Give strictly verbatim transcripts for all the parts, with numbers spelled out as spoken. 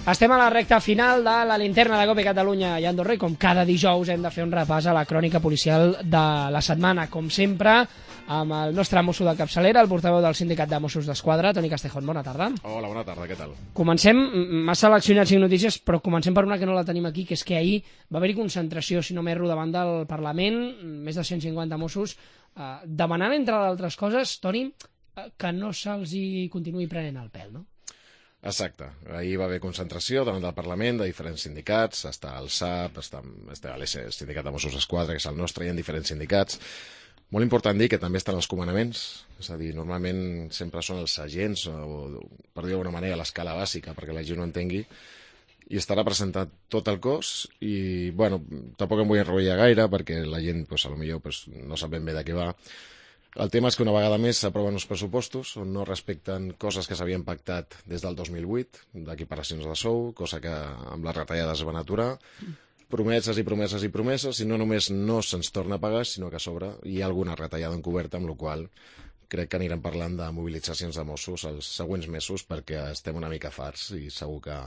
Estem a la recta final de la linterna de Cope Catalunya i Andorra i com cada dijous hem de fer un repàs a la crònica policial de la setmana, com sempre, amb el nostre mosso de capçalera, el portaveu del Sindicat de Mossos d'Esquadra, Toni Castejón. Bona tarda. Hola, bona tarda, què tal? Comencem, m'ha seleccionat cinc notícies, però comencem per una que no la tenim aquí, que és que ahir va haver-hi concentració, si no m'erro, davant del Parlament, més de cent cinquanta Mossos, eh, demanant, entre d'altres coses, Toni, eh, que no se'ls hi continuï prenent el pèl, no? Exacte. Ahir va haver concentració davant del Parlament de diferents sindicats, està el S A P, està, està l'E S, el Sindicat de Mossos d'Esquadra, que és el nostre, i en diferents sindicats. Molt important dir que també estan els comandaments, és a dir, normalment sempre són els agents, o, per dir d'alguna manera, l'escala bàsica, perquè la gent no entengui, i està representat tot el cos, i, bueno, tampoc em vull enrotllar gaire, perquè la gent, pues, potser pues, no sap ben bé de què va. El tema és que una vegada més s'aproven uns pressupostos on no respecten coses que s'havien pactat des del dos mil vuit, d'equiparacions de sou, cosa que amb les retallades es van aturar, promeses i promeses i promeses, i no només no se'ns torna a pagar, sinó que a sobre hi ha alguna retallada encoberta, amb la qual crec que anirem parlant de mobilitzacions de Mossos els següents mesos, perquè estem una mica farts i segur que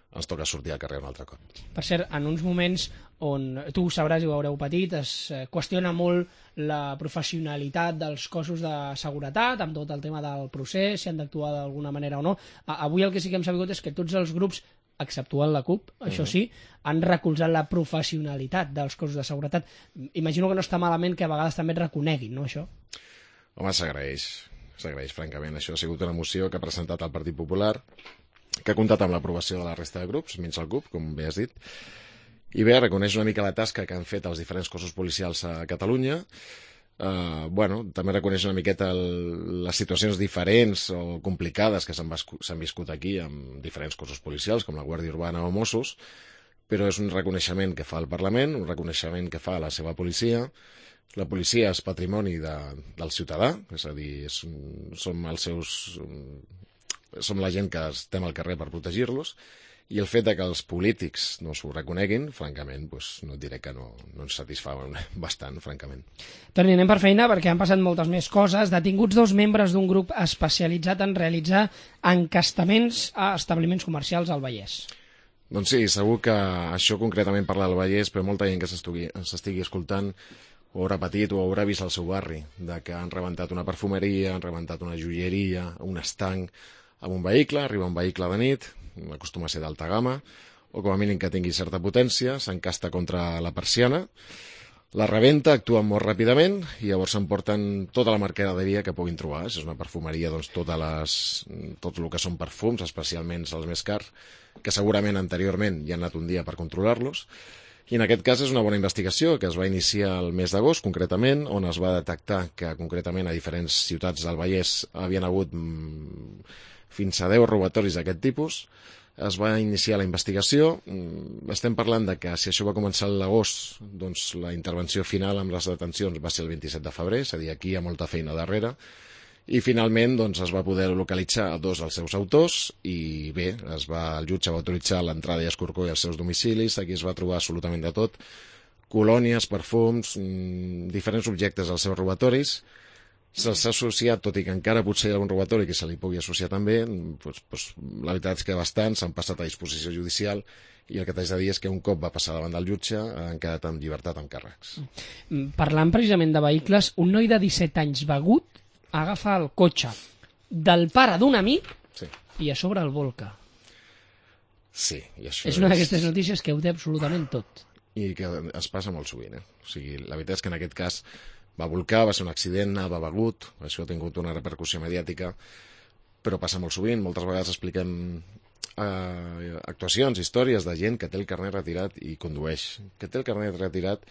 ens toca sortir al carrer un altre cop. Per cert, en uns moments on, tu ho sabràs i ho haureu patit, es qüestiona molt la professionalitat dels cossos de seguretat, amb tot el tema del procés, si han d'actuar d'alguna manera o no. Avui el que sí que hem sabut és que tots els grups, exceptuant la CUP, això sí, han recolzat la professionalitat dels cossos de seguretat. Imagino que no està malament que a vegades també et reconeguin, no, això? Home, s'agraeix, s'agraeix, francament. Això ha sigut una moció que ha presentat el Partit Popular, que ha comptat amb l'aprovació de la resta de grups, menys el C U P, com bé has dit, i bé, reconeix una mica la tasca que han fet els diferents cossos policials a Catalunya. Uh, bueno, també reconeix una miqueta el, les situacions diferents o complicades que s'han viscut aquí amb diferents cossos policials, com la Guàrdia Urbana o Mossos, però és un reconeixement que fa el Parlament, un reconeixement que fa la seva policia. La policia és patrimoni de, del ciutadà, és a dir, és, som els seus... som la gent que estem al carrer per protegir-los, i el fet de que els polítics no s'ho reconeguin, francament, doncs no et diré que no, no ens satisfà bastant, francament. Toni, anem per feina perquè han passat moltes més coses. Detinguts dos membres d'un grup especialitzat en realitzar encastaments a establiments comercials al Vallès. Doncs sí, segur que això concretament parla del Vallès, però molta gent que s'estigui escoltant ho haurà patit o haurà vist al seu barri, de que han rebentat una perfumeria, han rebentat una joieria, un estanc, amb un vehicle, arriba un vehicle de nit, acostuma a ser d'alta gamma, o com a mínim que tingui certa potència, s'encasta contra la persiana, la rebenta, actuen molt ràpidament i llavors s'emporten tota la mercaderia que puguin trobar. Si és una perfumeria, doncs totes les, tot el que són perfums, especialment els més cars, que segurament anteriorment ja han anat un dia per controlar-los. I en aquest cas és una bona investigació que es va iniciar el mes d'agost, concretament, on es va detectar que concretament a diferents ciutats del Vallès havien hagut fins a deu robatoris d'aquest tipus. Es va iniciar la investigació. Estem parlant de que si això va començar a l'agost, doncs la intervenció final amb les detencions va ser el vint-i-set de febrer, és a dir, aquí hi ha molta feina darrere, i finalment doncs, es va poder localitzar dos dels seus autors i bé, es va, el jutge va autoritzar l'entrada i escorcoll als seus domicilis. Aquí es va trobar absolutament de tot, colònies, perfums, diferents objectes als seus robatoris. Se'ls ha associat, tot i que encara potser hi ha algun robatori que se li pugui associar també, doncs, doncs, la veritat és que bastants s'han passat a disposició judicial i el que t'haig de dir és que un cop va passar davant del jutge han quedat en llibertat amb càrrecs. Parlant precisament de vehicles, un noi de disset anys begut agafa el cotxe del pare d'un amic sí. i a sobre el volca. Sí, i això és una d'aquestes notícies que ho té absolutament tot. I que es passa molt sovint. Eh? O sigui, la veritat és que en aquest cas va volcar, va ser un accident, va begut, això ha tingut una repercussió mediàtica, però passa molt sovint. Moltes vegades expliquem eh, actuacions, històries de gent que té el carnet retirat i condueix. Que té el carnet retirat,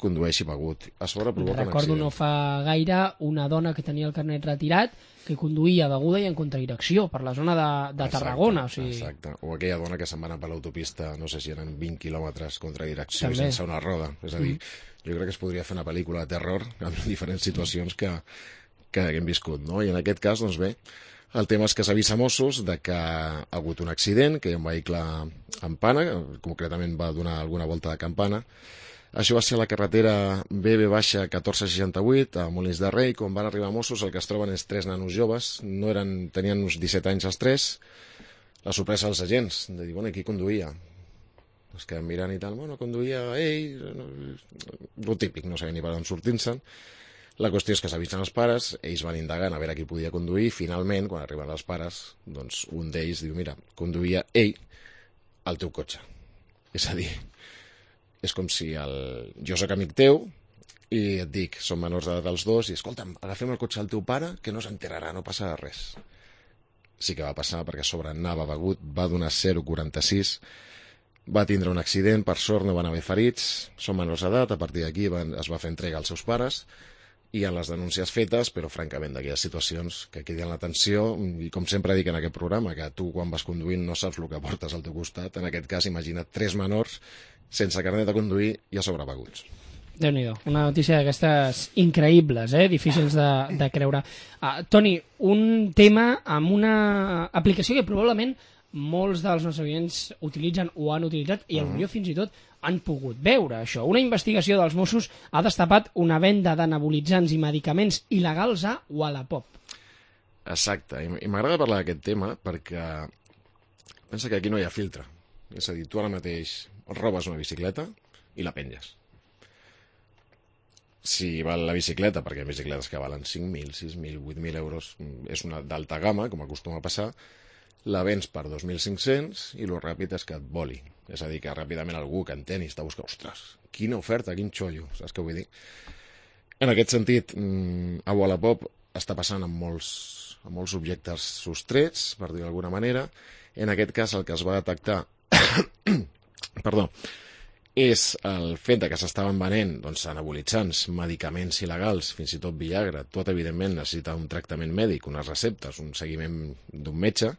condueix i begut. A sobre provoca un accident. Recordo no fa gaire una dona que tenia el carnet retirat que conduïa beguda i en contradirecció per la zona de, de exacte, Tarragona. O sigui... Exacte, o aquella dona que se'n va anar per l'autopista, no sé si eren vint quilòmetres contra direcció també. Sense una roda. És a dir, mm. jo crec que es podria fer una pel·lícula de terror amb diferents situacions que, que hem viscut, no? I en aquest cas, doncs bé, el tema és que s'avisa Mossos de que ha hagut un accident, que hi ha un vehicle en pana, concretament va donar alguna volta de campana. Això va ser a la carretera B B catorze seixanta-vuit a Molins de Rei. Quan van arribar Mossos el que es troben és tres nanos joves, no eren, tenien uns disset anys els tres, la sorpresa dels agents, de dir, bueno, qui conduïa? Es queden mirant i tal, bueno, conduïa ell, el típic, no sabia ni per on sortint-se'n. La qüestió és que s'avisen els pares, ells van indagant a veure qui podia conduir, i finalment, quan arriben els pares, doncs un d'ells diu, mira, conduïa ell el teu cotxe. És a dir, és com si el... jo sóc amic teu i et dic, som menors d'edat els dos, i escolta'm, agafem el cotxe del teu pare, que no s'enterarà, no passarà res. Sí que va passar, perquè a sobre anava begut, va donar zero coma quaranta-sis, va tindre un accident, per sort no van haver ferits, són menors d'edat, a partir d'aquí es va fer entrega als seus pares, i en les denúncies fetes, però francament d'aquelles situacions que criden l'atenció, i com sempre dic en aquest programa, que tu quan vas conduint no saps el que portes al teu costat, en aquest cas imagina't tres menors sense carnet de conduir i a sobre beguts. Déu-n'hi-do, una notícia d'aquestes increïbles, eh? Difícils de, de creure. Uh, Toni, un tema amb una aplicació que probablement molts dels nostres oients utilitzen o han utilitzat i potser fins i tot han pogut veure això. Una investigació dels Mossos ha destapat una venda d'anabolitzants i medicaments il·legals a Wallapop. Exacte, i m'agrada parlar d'aquest tema perquè pensa que aquí no hi ha filtre. És a dir, tu ara mateix robes una bicicleta i la penges. Si val la bicicleta, perquè hi ha bicicletes que valen cinc mil, sis mil, vuit mil euros, és una d'alta gamma, com acostuma a passar, la vens per dos mil cinc-cents i el ràpid és que et voli. És a dir, que ràpidament algú que entén i està buscant, ostres, quina oferta, quin xollo, saps què vull dir? En aquest sentit, a Wallapop està passant amb molts, amb molts objectes sostrets, per dir d'alguna manera. En aquest cas, el que es va detectar perdó, és el fet que s'estaven venent doncs, anabolitzants, medicaments il·legals, fins i tot Viagra. Tot, evidentment, necessita un tractament mèdic, unes receptes, un seguiment d'un metge,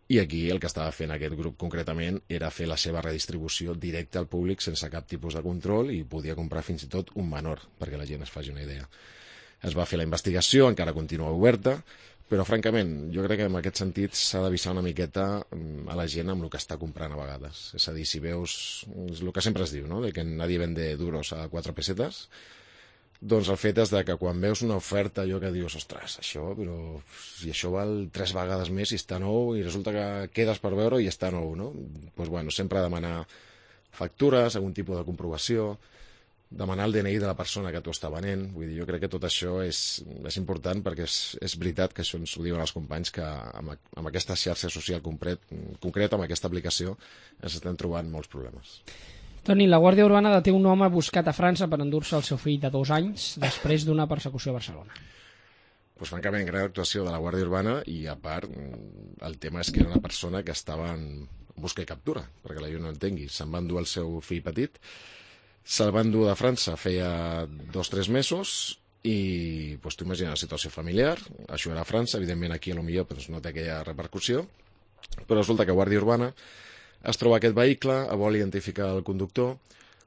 i aquí el que estava fent aquest grup concretament era fer la seva redistribució directa al públic sense cap tipus de control i podia comprar fins i tot un menor, perquè la gent es faci una idea. Es va fer la investigació, encara continua oberta, però francament jo crec que en aquest sentit s'ha d'avisar una miqueta a la gent amb el que està comprant a vegades. És a dir, si veus, és el que sempre es diu, no? De que nadie vende duros a quatre pesetes, doncs el fet és de que quan veus una oferta allò que dius, ostres, això, però si això val tres vegades més i està nou i resulta que quedes per veure i està nou, no? Doncs bueno, sempre demanar factures, algun tipus de comprovació, demanar el D N I de la persona que t'ho està venent. Vull dir, jo crec que tot això és, és important perquè és, és veritat que això ens ho diuen els companys que amb, amb aquesta xarxa social concret, concreta, amb aquesta aplicació, ens estem trobant molts problemes. Toni, la Guàrdia Urbana deté un home buscat a França per endur-se el seu fill de dos anys després d'una persecució a Barcelona. Pues, francament, gran actuació de la Guàrdia Urbana i, a part, el tema és que era una persona que estava en busca i captura, perquè la gent no entengui. Se'n va endur el seu fill petit, se'l va endur de França feia dos o tres mesos i pues, tu imagina la situació familiar, això era a França, evidentment aquí potser pues, no té aquella repercussió, però resulta que Guàrdia Urbana es troba aquest vehicle, vol identificar el conductor,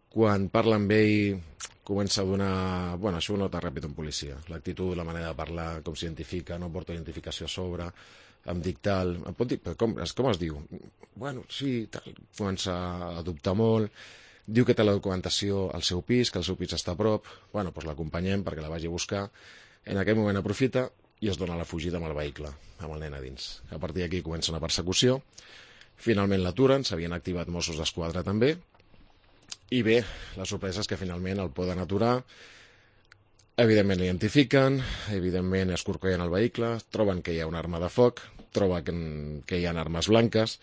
quan parla amb ell comença a donar... Bueno, això ho nota ràpid un policia. L'actitud, la manera de parlar, com s'identifica, no porta identificació a sobre, em dic tal... Em pot dir, però com, com es diu? Bueno, sí, tal. Comença a dubtar molt, diu que té la documentació al seu pis, que el seu pis està a prop, bueno, doncs l'acompanyem perquè la vagi a buscar. En aquell moment aprofita i es dona la fugida amb el vehicle, amb el nen a dins. A partir d'aquí comença una persecució. Finalment l'aturen, s'havien activat Mossos d'Esquadra també, i bé, la sorpresa és que finalment el poden aturar, evidentment l'identifiquen, evidentment escorcollen el vehicle, troben que hi ha una arma de foc, troben que, que hi ha armes blanques,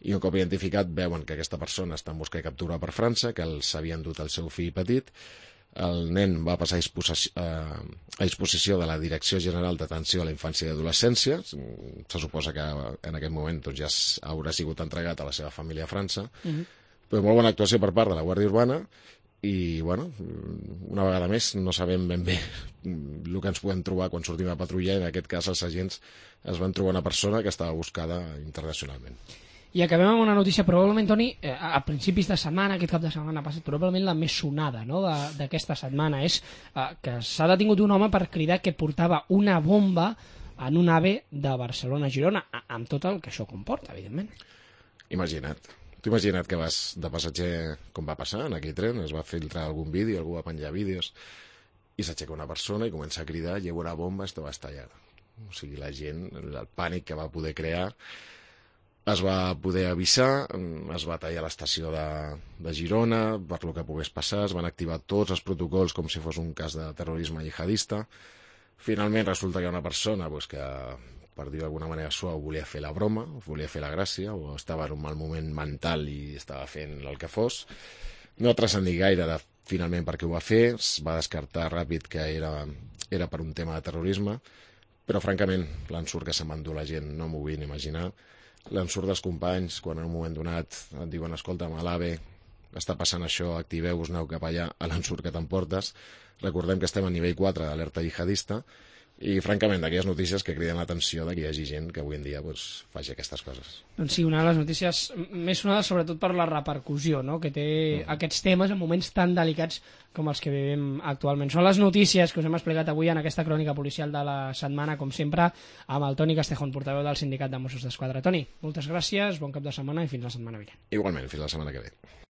i un cop identificat veuen que aquesta persona està en busca i captura per França, que s'havia endut el seu fill petit. El nen va passar a disposició, a disposició de la Direcció General d'Atenció a la Infància i Adolescència. Se suposa que en aquest moment doncs, ja haurà sigut entregat a la seva família a França. Uh-huh. Però molt bona actuació per part de la Guàrdia Urbana i, bueno, una vegada més no sabem ben bé el que ens podem trobar quan sortim a patrullar. En aquest cas els agents es van trobar una persona que estava buscada internacionalment. I acabem amb una notícia, probablement, Toni, eh, a principis de setmana, aquest cap de setmana passat, probablement la més sonada, no?, d'aquesta setmana, és eh, que s'ha detingut un home per cridar que portava una bomba en un AVE de Barcelona a Girona, amb tot el que això comporta, evidentment. Imagina't. Tu imagina't que vas de passatger, com va passar en aquell tren, es va filtrar algun vídeo, algú va penjar vídeos, i s'aixeca una persona i comença a cridar, llevo una bomba, esto va estallar. O sigui, la gent, el pànic que va poder crear... es va poder avisar, es va tallar l'estació de, de Girona per lo que pogués passar, es van activar tots els protocols com si fos un cas de terrorisme jihadista. Finalment resulta que hi ha una persona pues, que, per dir d'alguna manera suau, volia fer la broma, volia fer la gràcia, o estava en un mal moment mental i estava fent el que fos. No transcendir gaire de finalment per què ho va fer, es va descartar ràpid que era, era per un tema de terrorisme, però francament l'ensurt que se'n va endur la gent no m'ho vull ni imaginar. L'ensurt dels companys, quan en un moment donat et diuen escolta, a l'AVE està passant això, activeu-vos, aneu cap allà, a l'ensurt que t'emportes. Recordem que estem a nivell quatre d'alerta jihadista i, francament, d'aquelles notícies que criden l'atenció de que hi hagi gent que avui en dia pues, faci aquestes coses. Doncs sí, una de les notícies més sonades sobretot per la repercussió, no?, que té uh -huh. aquests temes en moments tan delicats com els que vivim actualment. Són les notícies que us hem explicat avui en aquesta crònica policial de la setmana, com sempre, amb el Toni Castejón, portaveu del Sindicat de Mossos d'Esquadra. Toni, moltes gràcies, bon cap de setmana i fins la setmana vinent. Igualment, fins la setmana que ve.